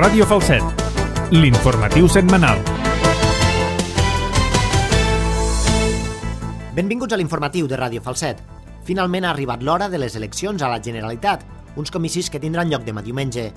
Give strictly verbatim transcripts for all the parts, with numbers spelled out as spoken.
Ràdio Falset, l'informatiu setmanal. Benvinguts a l'informatiu de Ràdio Falset. Finalment ha arribat l'hora de les eleccions a la Generalitat, uns comicis que tindran lloc demà diumenge.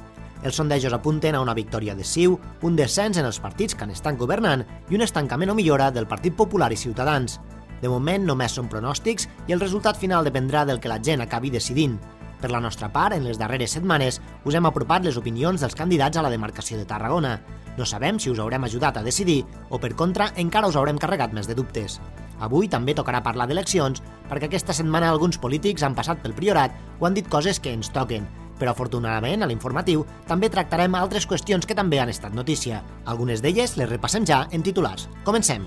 Els sondejos apunten a una victòria de C I U, un descens en els partits que n'estan governant i un estancament o millora del Partit Popular i Ciutadans. De moment només són pronòstics i el resultat final dependrà del que la gent acabi decidint. Per la nostra part, en les darreres setmanes us hem apropat les opinions dels candidats a la demarcació de Tarragona. No sabem si us haurem ajudat a decidir o, per contra, encara us haurem carregat més de dubtes. Avui també tocarà parlar d'eleccions perquè aquesta setmana alguns polítics han passat pel Priorat o han dit coses que ens toquen. Però afortunadament, a l'informatiu, també tractarem altres qüestions que també han estat notícia. Algunes d'elles les repassem ja en titulars. Comencem!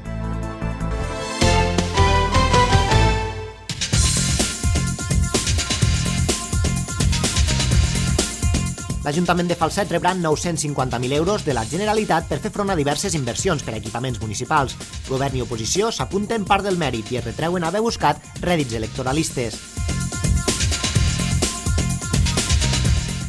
L'Ajuntament de Falset rebrà nou-cents cinquanta mil euros de la Generalitat per fer front a diverses inversions per a equipaments municipals. Govern i oposició s'apunten part del mèrit i es retreuen haver buscat rèdits electoralistes.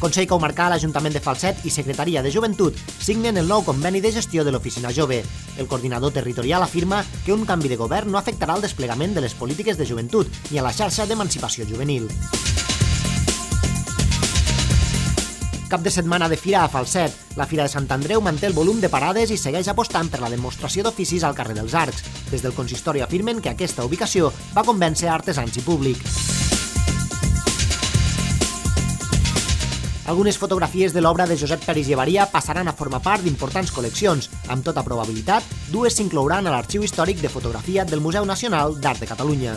Consell Comarcal, l'Ajuntament de Falset i Secretaria de Joventut signen el nou conveni de gestió de l'Oficina Jove. El coordinador territorial afirma que un canvi de govern no afectarà el desplegament de les polítiques de joventut ni a la xarxa d'emancipació juvenil. Cap de setmana de fira a Falset. La Fira de Sant Andreu manté el volum de parades i segueix apostant per la demostració d'oficis al carrer dels Arcs. Des del consistori afirmen que aquesta ubicació va convèncer artesans i públic. Algunes fotografies de l'obra de Josep Peris Llevaria passaran a formar part d'importants col·leccions. Amb tota probabilitat, dues s'inclouran a l'Arxiu Històric de Fotografia del Museu Nacional d'Art de Catalunya.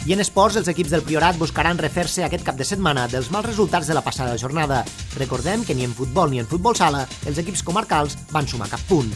I en esports, els equips del Priorat buscaran refer-se aquest cap de setmana dels mals resultats de la passada jornada. Recordem que ni en futbol ni en futbol sala els equips comarcals van sumar cap punt.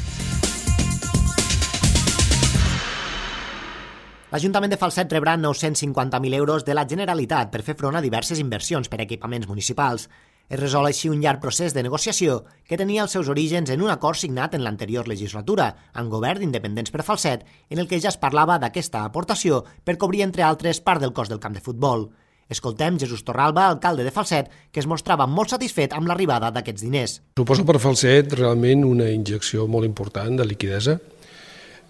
L'Ajuntament de Falset rebrà nou-cents cinquanta mil euros de la Generalitat per fer front a diverses inversions per a equipaments municipals. Es resol així un llarg procés de negociació que tenia els seus orígens en un acord signat en l'anterior legislatura, amb govern d'independents per Falset, en el que ja es parlava d'aquesta aportació per cobrir, entre altres, part del cost del camp de futbol. Escoltem Jesús Torralba, alcalde de Falset, que es mostrava molt satisfet amb l'arribada d'aquests diners. Suposa per Falset realment una injecció molt important de liquidesa.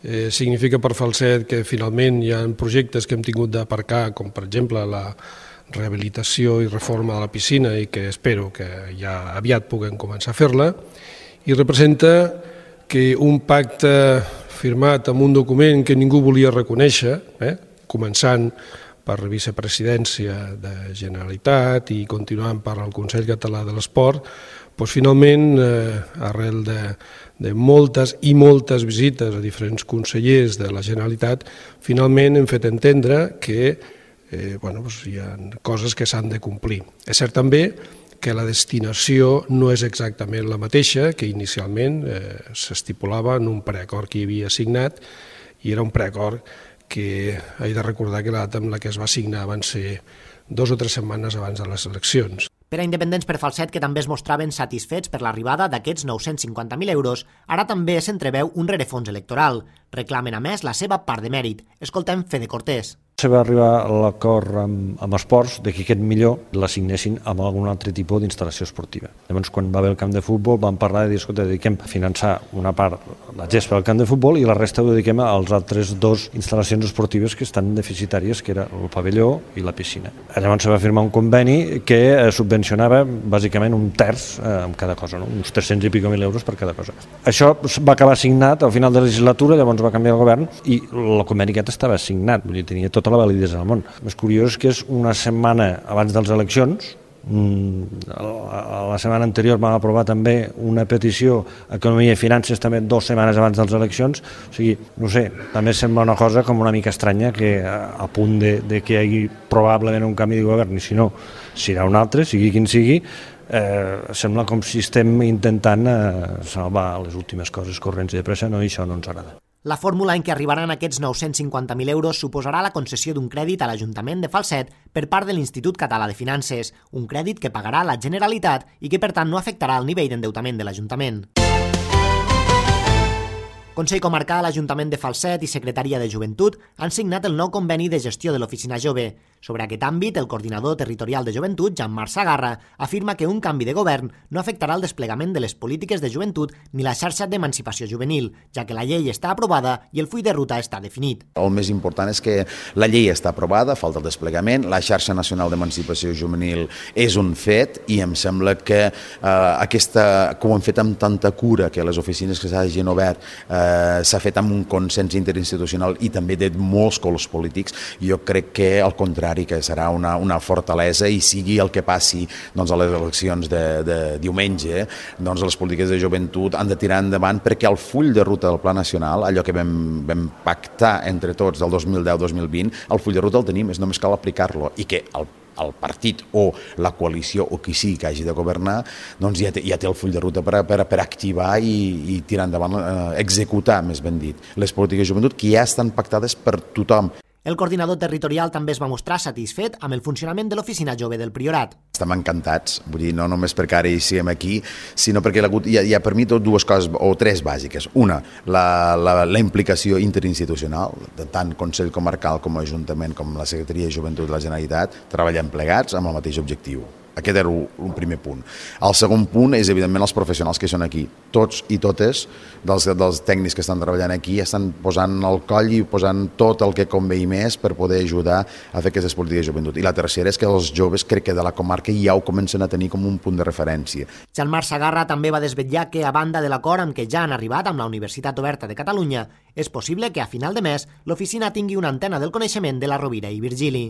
Eh, significa per Falset que finalment hi ha projectes que hem tingut d'aparcar, com per exemple la rehabilitació i reforma de la piscina i que espero que ja aviat puguem començar a fer-la, i representa que un pacte firmat amb un document que ningú volia reconèixer, eh, començant per la vicepresidència de Generalitat i continuant per el Consell Català de l'Esport, doncs finalment, eh, arrel de, de moltes i moltes visites a diferents consellers de la Generalitat, finalment hem fet entendre que Eh, bueno, doncs hi ha coses que s'han de complir. És cert també que la destinació no és exactament la mateixa que inicialment eh, s'estipulava en un preacord que hi havia signat, i era un preacord que he de recordar que la data amb la que es va signar van ser dos o tres setmanes abans de les eleccions. Per a independents per Falset, que també es mostraven satisfets per l'arribada d'aquests nou-cents cinquanta mil euros, ara també s'entreveu un rerefons electoral. Reclamen, a més, la seva part de mèrit. Escoltem Fede Cortés. Se va arribar a l'acord amb, amb esports de que aquest millor l'assignessin amb algun altre tipus d'instal·lació esportiva. Llavors, quan va haver el camp de futbol, vam parlar de dir, escolta, dediquem a finançar una part, la gespa del camp de futbol, i la resta ho dediquem als altres dos instal·lacions esportives que estan deficitàries, que era el pavelló i la piscina. Llavors se va firmar un conveni que subvencionava bàsicament un terç eh, amb cada cosa, no? Uns tres-cents i pico mil euros per cada cosa. Això va acabar signat al final de la legislatura, llavors va canviar el govern i el conveni aquest estava signat, vull dir, tenia tota la validesa del món. El més curiós és que és una setmana abans de les eleccions. A la setmana anterior vam aprovar també una petició a Economia i Finances també dues setmanes abans de les eleccions. O sigui, no sé, també sembla una cosa com una mica estranya que a punt de, de que hi hagi probablement un canvi de govern, i si no, serà un altre, sigui quin sigui, eh, sembla com si estem intentant eh, salvar les últimes coses corrents i de pressa, no, i això no ens agrada. La fórmula en què arribaran aquests nou-cents cinquanta mil euros suposarà la concessió d'un crèdit a l'Ajuntament de Falset per part de l'Institut Català de Finances, un crèdit que pagarà la Generalitat i que, per tant, no afectarà el nivell d'endeutament de l'Ajuntament. Consell Comarcal, Ajuntament de Falset i Secretaria de Joventut han signat el nou conveni de gestió de l'Oficina Jove. Sobre aquest àmbit, el coordinador territorial de joventut, Jean-Marc Sagarra, afirma que un canvi de govern no afectarà el desplegament de les polítiques de joventut ni la xarxa d'emancipació juvenil, ja que la llei està aprovada i el full de ruta està definit. El més important és que la llei està aprovada, falta el desplegament, la xarxa nacional d'emancipació juvenil és un fet i em sembla que eh, aquesta, que ho hem fet amb tanta cura, que les oficines que s'hagin obert eh, s'ha fet amb un consens interinstitucional i també de molts colors polítics, jo crec que al contrari que serà una, una fortalesa i sigui el que passi doncs, a les eleccions de, de diumenge, doncs les polítiques de joventut han de tirar endavant perquè el full de ruta del Pla Nacional, allò que vam, vam pactar entre tots del dos mil deu dos mil vint, el full de ruta el tenim, és només cal aplicar-lo i que el el partit o la coalició o qui sigui que hagi de governar doncs ja té, ja té el full de ruta per, per, per activar i, i tirar endavant, eh, executar, més ben dit, les polítiques de joventut que ja estan pactades per tothom. El coordinador territorial també es va mostrar satisfet amb el funcionament de l'Oficina Jove del Priorat. Estem encantats, vull dir, no només perquè ara hi siguem aquí, sinó perquè hi ha, hi ha per mi tot dues coses, o tres bàsiques. Una, la, la, la implicació interinstitucional, de tant Consell Comarcal com Ajuntament com la Secretaria de Joventut de la Generalitat, treballant plegats amb el mateix objectiu. Aquest era un primer punt. El segon punt és, evidentment, els professionals que són aquí. Tots i totes dels, dels tècnics que estan treballant aquí estan posant el coll i posant tot el que convé i més per poder ajudar a fer aquestes polítiques de joventut. I la tercera és que els joves, crec que de la comarca ja ho comencen a tenir com un punt de referència. Jean-Marc Sagarra també va desvetllar que, a banda de l'acord amb què ja han arribat amb la Universitat Oberta de Catalunya, és possible que a final de mes l'oficina tingui una antena del coneixement de la Rovira i Virgili.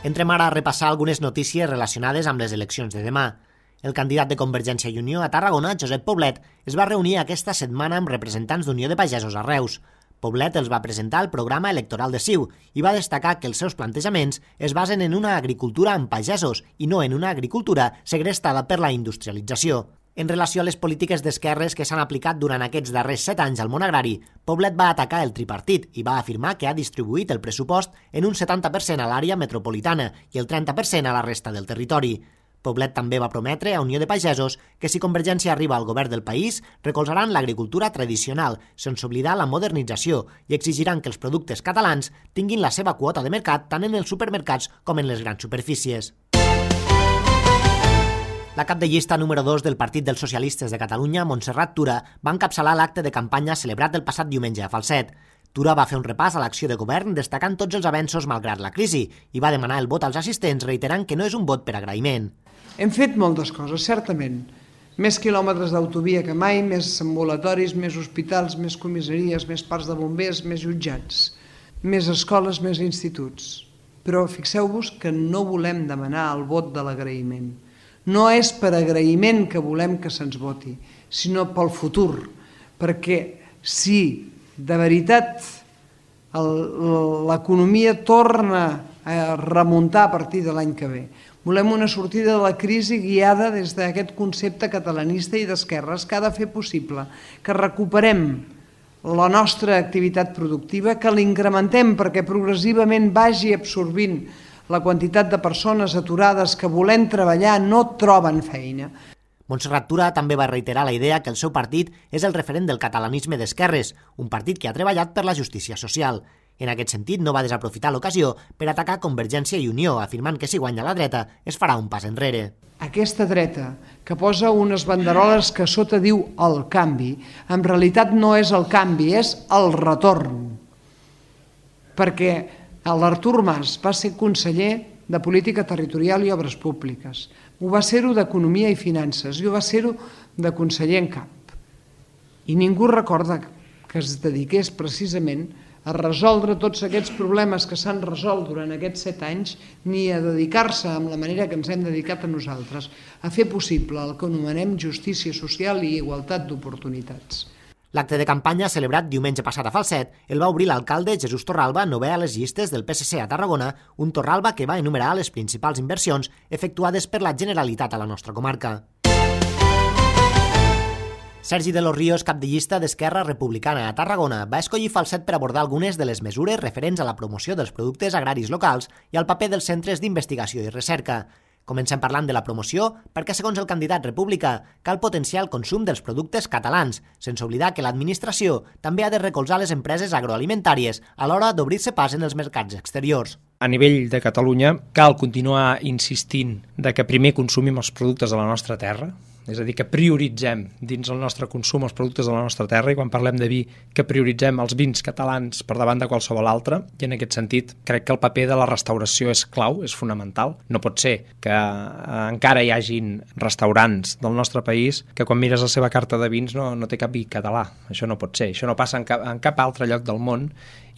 Entrem ara a repassar algunes notícies relacionades amb les eleccions de demà. El candidat de Convergència i Unió a Tarragona, Josep Poblet, es va reunir aquesta setmana amb representants d'Unió de Pagesos a Reus. Poblet els va presentar el programa electoral de C I U i va destacar que els seus plantejaments es basen en una agricultura amb pagesos i no en una agricultura segrestada per la industrialització. En relació a les polítiques d'esquerres que s'han aplicat durant aquests darrers set anys al món agrari, Poblet va atacar el tripartit i va afirmar que ha distribuït el pressupost en un setanta per cent a l'àrea metropolitana i el trenta per cent a la resta del territori. Poblet també va prometre a Unió de Pagesos que si Convergència arriba al govern del país, recolzaran l'agricultura tradicional, sense oblidar la modernització, i exigiran que els productes catalans tinguin la seva quota de mercat tant en els supermercats com en les grans superfícies. La cap de llista número dos del Partit dels Socialistes de Catalunya, Montserrat Tura, va encapçalar l'acte de campanya celebrat el passat diumenge a Falset. Tura va fer un repàs a l'acció de govern destacant tots els avenços malgrat la crisi i va demanar el vot als assistents reiterant que no és un vot per agraïment. Hem fet moltes coses, certament. Més quilòmetres d'autovia que mai, més ambulatoris, més hospitals, més comissaries, més parcs de bombers, més jutjats, més escoles, més instituts. Però fixeu-vos que no volem demanar el vot de l'agraïment. No és per agraïment que volem que se'ns voti, sinó pel futur, perquè si de veritat l'economia torna a remuntar a partir de l'any que ve, volem una sortida de la crisi guiada des d'aquest concepte catalanista i d'esquerres que ha de fer possible que recuperem la nostra activitat productiva, que l'incrementem perquè progressivament vagi absorbint la quantitat de persones aturades que volent treballar no troben feina. Montserrat Tura també va reiterar la idea que el seu partit és el referent del catalanisme d'esquerres, un partit que ha treballat per la justícia social. En aquest sentit, no va desaprofitar l'ocasió per atacar Convergència i Unió, afirmant que si guanya la dreta es farà un pas enrere. Aquesta dreta, que posa unes banderoles que sota diu el canvi, en realitat no és el canvi, és el retorn. Perquè l'Artur Mas va ser conseller de Política Territorial i Obres Públiques, ho va ser-ho d'Economia i Finances, i ho va ser-ho de conseller en cap. I ningú recorda que es dediqués precisament a resoldre tots aquests problemes que s'han resolt durant aquests set anys, ni a dedicar-se amb la manera que ens hem dedicat a nosaltres, a fer possible el que anomenem justícia social i igualtat d'oportunitats. L'acte de campanya celebrat diumenge passat a Falset el va obrir l'alcalde Jesús Torralba, novè a les llistes del P S C a Tarragona, un Torralba que va enumerar les principals inversions efectuades per la Generalitat a la nostra comarca. Sergi de los Ríos, cap de llista d'Esquerra Republicana a Tarragona, va escollir Falset per abordar algunes de les mesures referents a la promoció dels productes agraris locals i al paper dels centres d'investigació i recerca. Comencem parlant de la promoció perquè, segons el candidat republicà, cal potenciar el consum dels productes catalans, sense oblidar que l'administració també ha de recolzar les empreses agroalimentàries a l'hora d'obrir-se pas en els mercats exteriors. A nivell de Catalunya cal continuar insistint de que primer consumim els productes de la nostra terra, és a dir, que prioritzem dins el nostre consum els productes de la nostra terra, i quan parlem de vi, que prioritzem els vins catalans per davant de qualsevol altre, i en aquest sentit crec que el paper de la restauració és clau, és fonamental. No pot ser que eh, encara hi hagin restaurants del nostre país que quan mires la seva carta de vins no, no té cap vi català. Això no pot ser, això no passa en cap, en cap altre lloc del món.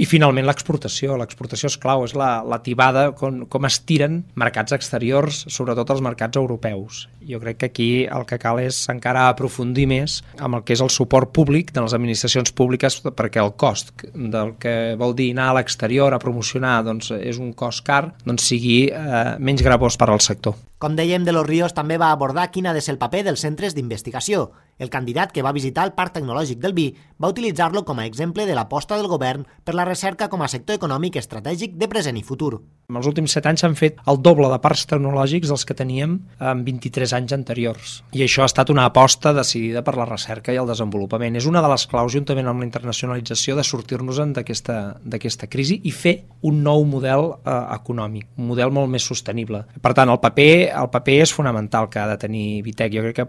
I finalment l'exportació, l'exportació és clau, és la, la tibada com, com es tiren mercats exteriors, sobretot els mercats europeus. Jo crec que aquí el que cal és encara aprofundir més amb el que és el suport públic de les administracions públiques, perquè el cost del que vol dir anar a l'exterior a promocionar doncs, és un cost car, doncs sigui eh, menys gravós per al sector. Com dèiem, De los Ríos també va abordar quin ha de ser el paper dels centres d'investigació. El candidat que va visitar el Parc Tecnològic del Vi va utilitzar-lo com a exemple de l'aposta del govern per la recerca com a sector econòmic estratègic de present i futur. En els últims set anys s'han fet el doble de parcs tecnològics dels que teníem en vint-i-tres anys anteriors. I això ha estat una aposta decidida per la recerca i el desenvolupament. És una de les claus, juntament amb la internacionalització, de sortir-nos-en d'aquesta d'aquesta crisi i fer un nou model eh, econòmic, un model molt més sostenible. Per tant, el paper el paper és fonamental que ha de tenir Vitec. Jo crec que,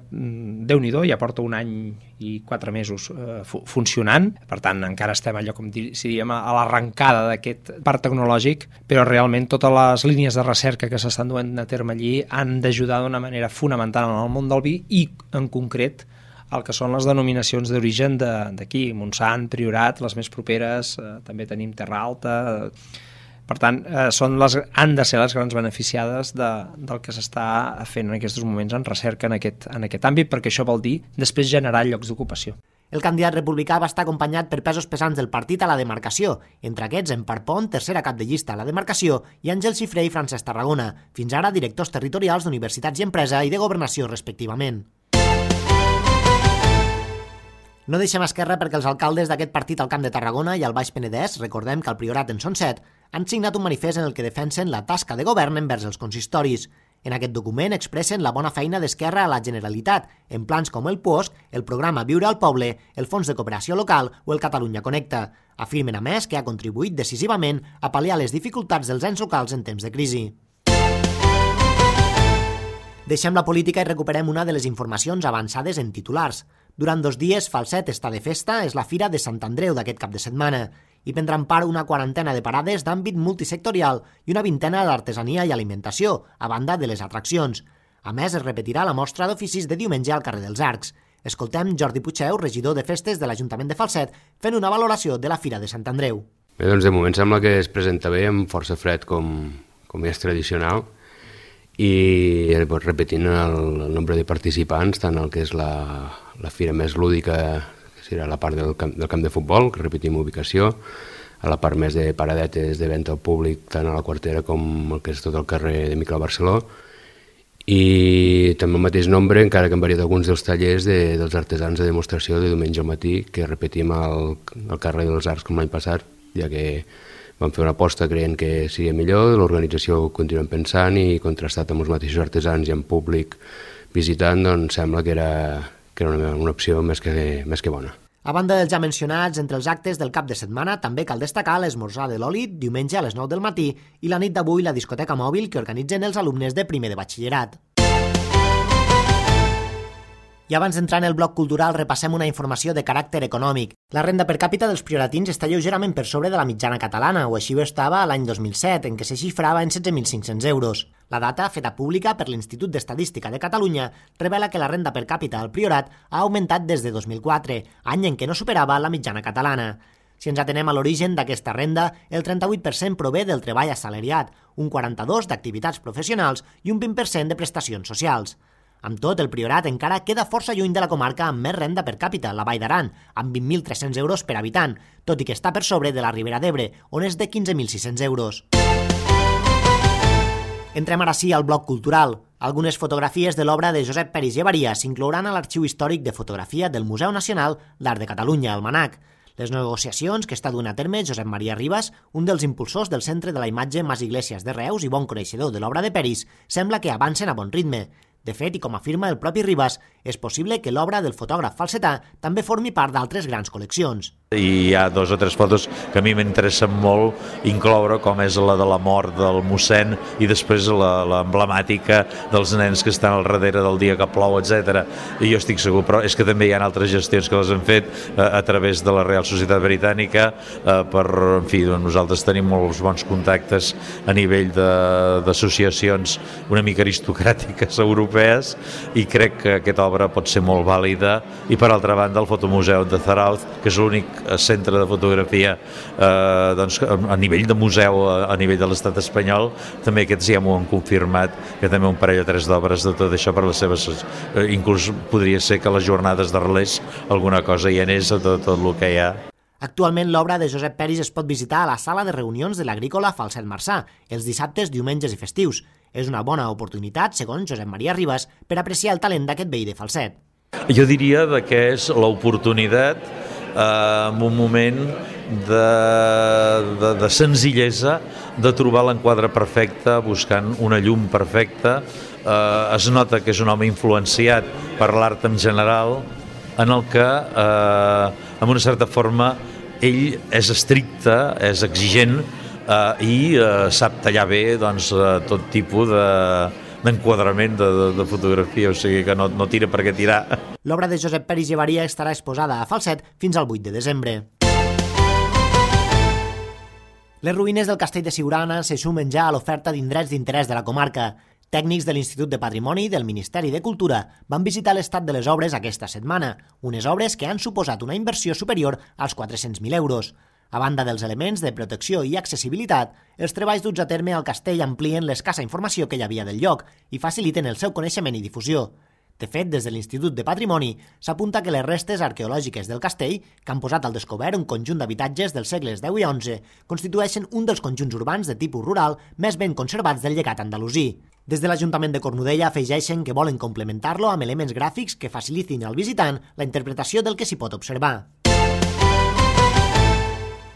Déu-n'hi-do, ja porta un any i quatre mesos eh, funcionant. Per tant, encara estem allò, com diríem, a l'arrencada d'aquest parc tecnològic, però realment totes les línies de recerca que s'estan duent a terme allí han d'ajudar d'una manera fonamental en el món del vi i, en concret, el que són les denominacions d'origen d'aquí, Montsant, Priorat, les més properes, eh, també tenim Terra Alta. Per tant, eh, són les, han de ser les grans beneficiades de, del que s'està fent en aquests moments en recerca en aquest, en aquest àmbit, perquè això vol dir després generar llocs d'ocupació. El candidat republicà va estar acompanyat per pesos pesants del partit a la demarcació, entre aquests Empar Pont, tercera cap de llista a la demarcació, i Àngel Cifré i Francesc Tarragona, fins ara directors territorials d'Universitats i Empresa i de Governació, respectivament. No deixem esquerra perquè els alcaldes d'aquest partit al Camp de Tarragona i al Baix Penedès, recordem que al Priorat en són set, han signat un manifest en el que defensen la tasca de govern envers els consistoris. En aquest document expressen la bona feina d'Esquerra a la Generalitat, en plans com el POSC, el programa Viure al Poble, el Fons de Cooperació Local o el Catalunya Connecta. Afirmen, a més, que ha contribuït decisivament a pal·liar les dificultats dels ens locals en temps de crisi. Deixem la política i recuperem una de les informacions avançades en titulars. Durant dos dies, Falset està de festa, és la Fira de Sant Andreu d'aquest cap de setmana. Hi prendran part una quarantena de parades d'àmbit multisectorial i una vintena d'artesania i alimentació, a banda de les atraccions. A més, es repetirà la mostra d'oficis de diumenge al carrer dels Arcs. Escoltem Jordi Puigdeu, regidor de festes de l'Ajuntament de Falset, fent una valoració de la Fira de Sant Andreu. Bé, doncs de moment sembla que es presenta bé, amb força fred com, com és tradicional, i doncs, repetint el, el nombre de participants, tant el que és la, la fira més lúdica, que serà la part del camp, del camp de futbol, que repetim ubicació, a la part més de paradetes de venda al públic, tant a la Quartera com el que és tot el carrer de Miquel Barceló, i també el mateix nombre, encara que han variat alguns dels tallers de, dels artesans de demostració de diumenge al matí, que repetim al, al carrer dels Arcs com l'any passat, ja que vam fer una aposta creient que seria millor, l'organització ho continuem pensant i contrastat amb els mateixos artesans i amb públic visitant, doncs sembla que era, que era una, una opció més que, més que bona. A banda dels ja mencionats, entre els actes del cap de setmana també cal destacar l'esmorzar de l'oli diumenge a les nou del matí i la nit d'avui la discoteca mòbil que organitzen els alumnes de primer de batxillerat. I abans d'entrar en el bloc cultural repassem una informació de caràcter econòmic. La renda per càpita dels prioratins està lleugerament per sobre de la mitjana catalana, o així ho estava l'any dos mil set, en què se xifrava en setze mil cinc-cents euros. La data, feta pública per l'Institut d'Estadística de Catalunya, revela que la renda per càpita al Priorat ha augmentat des de dos mil quatre, any en què no superava la mitjana catalana. Si ens atenem a l'origen d'aquesta renda, el trenta-vuit per cent prové del treball assalariat, un quaranta-dos per cent d'activitats professionals i un vint per cent de prestacions socials. Amb tot, el Priorat encara queda força lluny de la comarca amb més renda per càpita, la Vall d'Aran, amb vint mil tres-cents euros per habitant, tot i que està per sobre de la Ribera d'Ebre, on és de quinze mil sis-cents euros. Entrem ara sí al bloc cultural. Algunes fotografies de l'obra de Josep Peris Llevaria s'inclouran a l'Arxiu Històric de Fotografia del Museu Nacional d'Art de Catalunya, el MANAC. Les negociacions que està duent a terme Josep Maria Ribas, un dels impulsors del Centre de la Imatge Mas Iglesias de Reus i bon coneixedor de l'obra de Peris, sembla que avancen a bon ritme. De fet, i com afirma el propi Ribas, és possible que l'obra del fotògraf falsetà també formi part d'altres grans col·leccions. I hi ha dos o tres fotos que a mi m'interessen molt incloure, com és la de la mort del mossèn i després l'emblemàtica dels nens que estan al darrere del dia que plou, etcètera. I jo estic segur, però és que també hi ha altres gestions que les han fet eh, a través de la Real Societat Britànica eh, per, en fi, doncs nosaltres tenim molts bons contactes a nivell d'associacions una mica aristocràtiques europees i crec que aquesta obra pot ser molt vàlida. I per altra banda el Fotomuseu de Zarauz, que és l'únic centre de fotografia eh, doncs, a nivell de museu a, a nivell de l'estat espanyol, també aquests ja m'ho han confirmat, que també un parell o tres d'obres de tot això per les seves eh, inclús podria ser que les jornades d'Arles alguna cosa hi anés a tot, tot el que hi ha. Actualment l'obra de Josep Peris es pot visitar a la sala de reunions de l'Agrícola Falset Marçà, els dissabtes, diumenges i festius. És una bona oportunitat, segons Josep Maria Ribas, per apreciar el talent d'aquest veí de Falset. Jo diria que és l'oportunitat eh, en un moment de, de, de senzillesa, de trobar l'enquadre perfecte, buscant una llum perfecta. Eh, es nota que és un home influenciat per l'art en general, en el que, eh, amb una certa forma, ell és estricte, és exigent eh, i eh, sap tallar bé doncs, eh, tot tipus de d'enquadrament de, de, de fotografia, o sigui que no, no tira per què tirar. L'obra de Josep Peris Llevaria estarà exposada a Falset fins al vuit de desembre. Les ruïnes del castell de Siurana se sumen ja a l'oferta d'indrets d'interès de la comarca. Tècnics de l'Institut de Patrimoni i del Ministeri de Cultura van visitar l'estat de les obres aquesta setmana, unes obres que han suposat una inversió superior als quatre-cents mil euros. A banda dels elements de protecció i accessibilitat, els treballs duts a terme al castell amplien l'escassa informació que hi havia del lloc i faciliten el seu coneixement i difusió. De fet, des de l'Institut de Patrimoni s'apunta que les restes arqueològiques del castell, que han posat al descobert un conjunt d'habitatges dels segles deu i onze, constitueixen un dels conjunts urbans de tipus rural més ben conservats del llegat andalusí. Des de l'Ajuntament de Cornudella afegeixen que volen complementar-lo amb elements gràfics que facilitin al visitant la interpretació del que s'hi pot observar.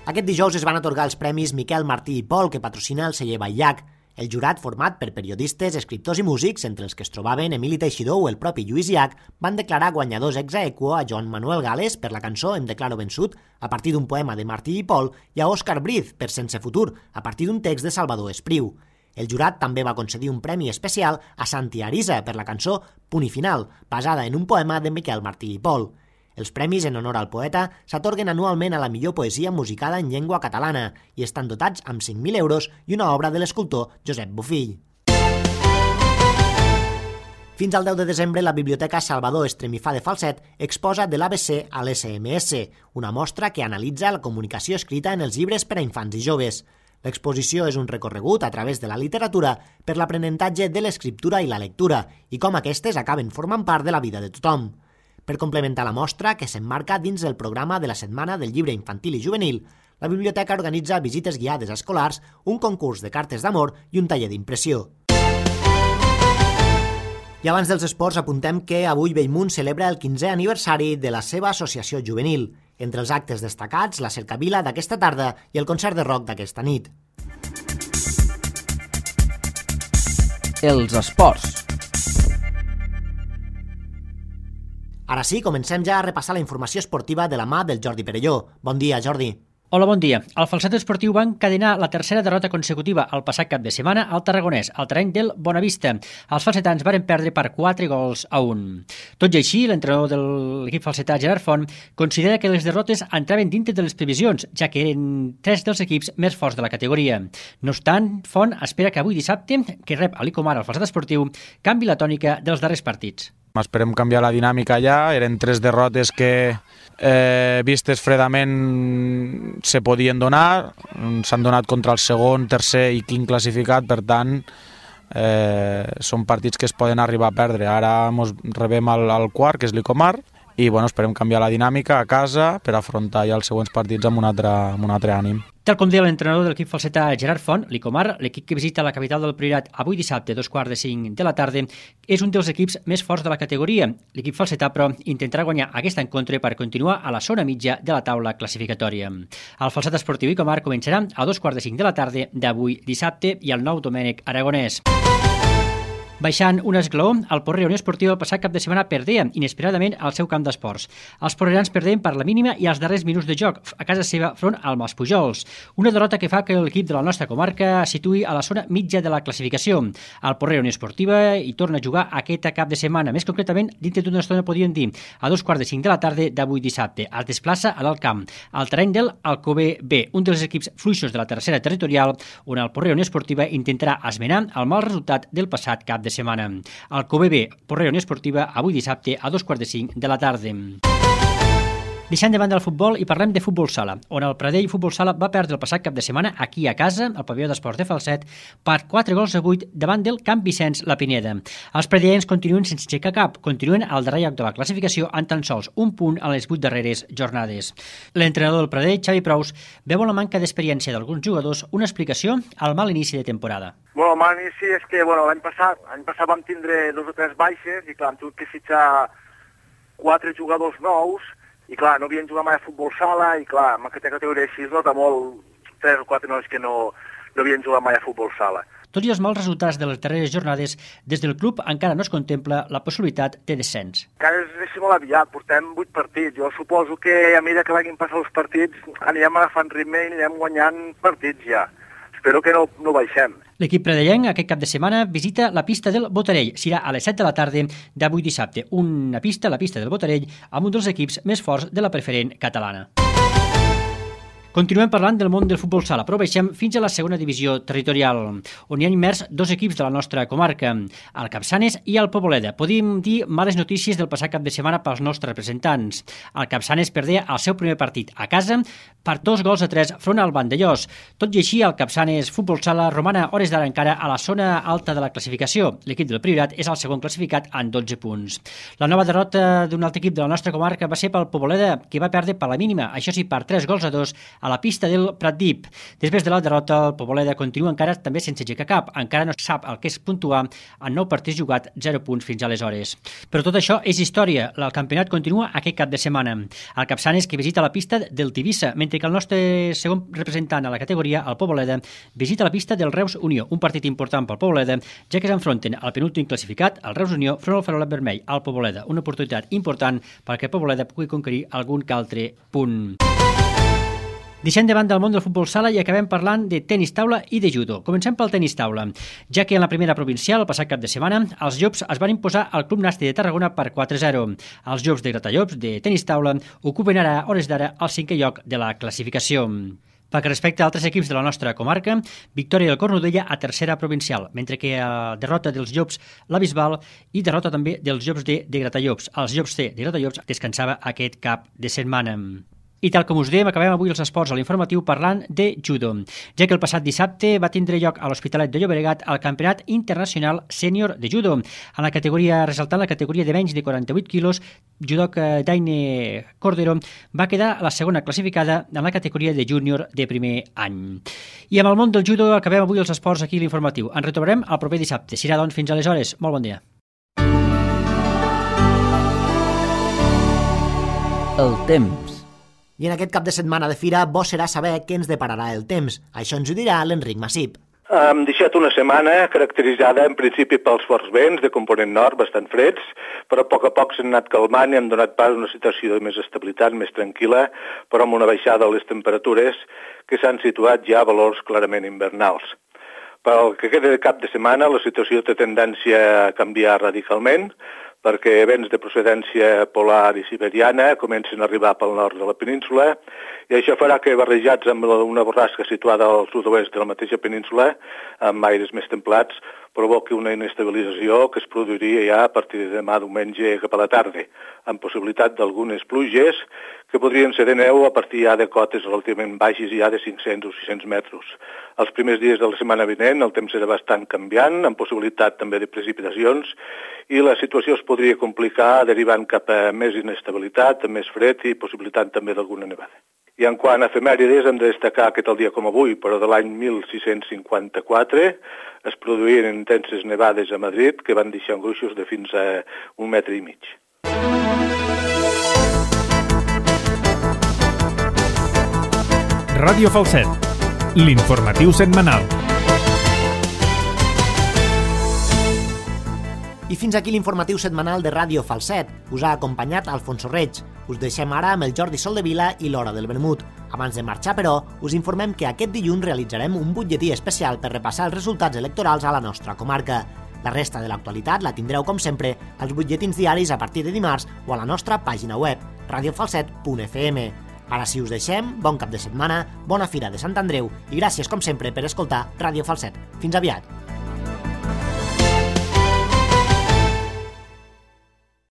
Aquest dijous es van atorgar els premis Miquel Martí i Pol que patrocina el celler Batllac. El jurat, format per periodistes, escriptors i músics, entre els que es trobaven Emili Teixidor o el propi Lluís Llach, van declarar guanyadors ex aequo a Joan Manuel Gales per la cançó Em declaro vençut, a partir d'un poema de Martí i Pol, i a Òscar Briz per Sense futur, a partir d'un text de Salvador Espriu. El jurat també va concedir un premi especial a Santi Arisa per la cançó Punt i final, basada en un poema de Miquel Martí i Pol. Els premis en honor al poeta s'atorguen anualment a la millor poesia musicada en llengua catalana i estan dotats amb cinc mil euros i una obra de l'escultor Josep Bofill. Fins al deu de desembre, la Biblioteca Salvador Estremifà de Falset exposa de l'A B C a l'S M S, una mostra que analitza la comunicació escrita en els llibres per a infants i joves. L'exposició és un recorregut a través de la literatura per l'aprenentatge de l'escriptura i la lectura i com aquestes acaben formant part de la vida de tothom. Per complementar la mostra, que s'emmarca dins el programa de la Setmana del Llibre Infantil i Juvenil, la biblioteca organitza visites guiades a escolars, un concurs de cartes d'amor i un taller d'impressió. I abans dels esports apuntem que avui Bellmunt celebra el quinzè aniversari de la seva associació juvenil. Entre els actes destacats, la cercavila d'aquesta tarda i el concert de rock d'aquesta nit. Els esports. Ara sí, comencem ja a repassar la informació esportiva de la mà del Jordi Perelló. Bon dia, Jordi. Hola, bon dia. El Falset Esportiu va encadenar la tercera derrota consecutiva el passat cap de setmana al Tarragonès, al terreny del Bonavista. Els falsetans varen perdre per quatre gols a un. Tot i així, l'entrenador de l'equip falsetà, Gerard Font, considera que les derrotes entraven dintre de les previsions, ja que eren tres dels equips més forts de la categoria. No obstant, Font espera que avui dissabte, que rep a l'Icomar el Falset Esportiu, canvi la tònica dels darrers partits. Esperem canviar la dinàmica ja, eren tres derrotes que eh, vistes fredament se podien donar, s'han donat contra el segon, tercer i quint classificat, per tant eh, són partits que es poden arribar a perdre. Ara ens rebem al, al quart, que és l'Icomar, i bueno, esperem canviar la dinàmica a casa per afrontar ja els següents partits amb un altre, amb un altre ànim. Tal com deia l'entrenador de l'equip falsetà Gerard Font, l'Icomar, l'equip que visita la capital del Priorat avui dissabte, dos quarts de cinc de la tarda, és un dels equips més forts de la categoria. L'equip falsetà, però, intentarà guanyar aquest encontre per continuar a la zona mitja de la taula classificatòria. El falset esportiu Icomar començarà a dos quarts de cinc de la tarda d'avui dissabte i el nou Domènec Aragonès. Baixant un esglaó, el Porrera Unió Esportiva el passat cap de setmana perdia inesperadament al seu camp d'esports. Els porrerans perdien per la mínima i als darrers minuts de joc a casa seva front al Maspujols. Una derrota que fa que l'equip de la nostra comarca situï a la zona mitja de la classificació. El Porrera Unió Esportiva hi torna a jugar aquest cap de setmana. Més concretament, dintre d'una estona podríem dir a dos quarts de cinc de la tarda d'avui dissabte. Es desplaça a l'Alt Camp, al terreny del Alcover B, un dels equips fluixos de la tercera territorial, on el Porrera Unió Esportiva intentarà esmenar el mal resultat del passat cap de de setmana. El Alcover B, Porrera Unió Esportiva, avui dissabte a dos quarts de cinc de la tarda. Deixant de banda el futbol i parlem de futbol sala, on el Pradell Futbol Sala va perdre el passat cap de setmana aquí a casa, al pavelló d'esports de Falset, per quatre gols a vuit davant del Camp Vicenç La Pineda. Els pradellens continuen sense aixecar cap, continuen al darrer lloc de la classificació en tan sols un punt a les vuit darreres jornades. L'entrenador del Pradell, Xavi Prous, veu la manca d'experiència d'alguns jugadors una explicació al mal inici de temporada. Bueno, el mal inici és que bueno, l'any passat, l'any passat vam tindre dos o tres baixes i clar, hem tingut que fitxar quatre jugadors nous i clar, no havien jugat mai a futbol sala i clar, en aquesta categoria així es nota molt tres o quatre nois que no, no havien jugat mai a futbol sala. Tot i els mals resultats de les darreres jornades, des del club encara no es contempla la possibilitat de descens. Encara és, és molt aviat, portem vuit partits. Jo suposo que a mesura que vagin passant els partits anirem agafant ritme i anirem guanyant partits ja. Espero que no, no baixem. L'equip pradellenc aquest cap de setmana visita la pista del Botarell. Serà a les set de la tarda d'avui dissabte. Una pista, la pista del Botarell, amb un dels equips més forts de la preferent catalana. Continuem parlant del món del futbol sala, però baixem fins a la segona divisió territorial, on hi ha immers dos equips de la nostra comarca, el Capçanes i el Poboleda. Podríem dir males notícies del passat cap de setmana pels nostres representants. El Capçanes perdé el seu primer partit a casa per dos gols a tres front al Vandellós. Tot i així, el Capçanes Futbol Sala romana hores d'ara encara a la zona alta de la classificació. L'equip del Priorat és el segon classificat en dotze punts. La nova derrota d'un altre equip de la nostra comarca va ser pel Poboleda, que va perdre per la mínima, això sí, per tres gols a dos a la pista del Pratdip. Després de la derrota, el Poboleda continua encara també sense aixecar cap. Encara no sap el que és puntuar en nou partits jugats, zero punts fins aleshores. Però tot això és història. El campionat continua aquest cap de setmana. El Capçanes, que visita la pista del Tivissa, mentre que el nostre segon representant a la categoria, el Poboleda, visita la pista del Reus Unió, un partit important pel Poboleda, ja que s'enfronten al penúltim classificat, el Reus Unió, front al farolet vermell, al Poboleda. Una oportunitat important perquè el Poboleda pugui conquerir algun que altre punt. Deixem de banda el món del futbol sala i acabem parlant de tenis taula i de judo. Comencem pel tenis taula, ja que en la primera provincial, el passat cap de setmana, els Llops es van imposar al Club Nàstic de Tarragona per quatre a zero. Els Llops de Gratallops de tenis taula ocupen ara, hores d'ara, el cinquè lloc de la classificació. Pel que respecta a altres equips de la nostra comarca, victòria del Cornudella a tercera provincial, mentre que a derrota dels Llops la Bisbal i derrota també dels Llops de, de Gratallops. Els Llops de, de Gratallops descansava aquest cap de setmana. I tal com us dèiem, acabem avui els esports a l'informatiu parlant de judo, ja que el passat dissabte va tindre lloc a l'Hospitalet de Llobregat el Campionat Internacional Sènior de Judo. En la categoria, resaltant la categoria de menys de quaranta-vuit quilos, judoka Daine Cordero va quedar la segona classificada en la categoria de júnior de primer any. I amb el món del judo acabem avui els esports aquí a l'informatiu. Ens retrobarem el proper dissabte. Serà doncs fins aleshores. Molt bon dia. El temps. I en aquest cap de setmana de fira, bo serà saber què ens depararà el temps. Això ens ho dirà l'Enric Massip. Hem deixat una setmana caracteritzada en principi pels forts vents de component nord, bastant freds, però a poc a poc s'han anat calmant i han donat pas a una situació de més estabilitat, més tranquil·la, però amb una baixada de les temperatures que s'han situat ja a valors clarament invernals. Pel que queda de cap de setmana, la situació té tendència a canviar radicalment, perquè vents de procedència polar i siberiana comencen a arribar pel nord de la península i això farà que, barrejats amb una borrasca situada al sud-oest de la mateixa península, amb aires més templats, provoqui una inestabilització que es produiria ja a partir de demà diumenge cap a la tarda, amb possibilitat d'algunes pluges que podrien ser de neu a partir ja de cotes relativament baixes ja de cinc-cents o sis-cents metres. Els primers dies de la setmana vinent el temps serà bastant canviant, amb possibilitat també de precipitacions, i la situació es podria complicar derivant cap a més inestabilitat, més fred i possibilitat també d'alguna nevada. I en quant a efemèrides hem de destacar que tal dia com avui, però de l'any mil sis-cents cinquanta-quatre, es produïren intenses nevades a Madrid que van deixar gruixos de fins a un metre i mig. Ràdio Falset, l'informatiu setmanal. I fins aquí l'informatiu setmanal de Ràdio Falset. Us ha acompanyat Alfonso Reig. Us deixem ara amb el Jordi Soldevila i l'Hora del Vermut. Abans de marxar, però, us informem que aquest dilluns realitzarem un butlletí especial per repassar els resultats electorals a la nostra comarca. La resta de l'actualitat la tindreu, com sempre, als butlletins diaris a partir de dimarts o a la nostra pàgina web, radiofalset punt f m. Ara sí us deixem, bon cap de setmana, bona fira de Sant Andreu i gràcies, com sempre, per escoltar Ràdio Falset. Fins aviat!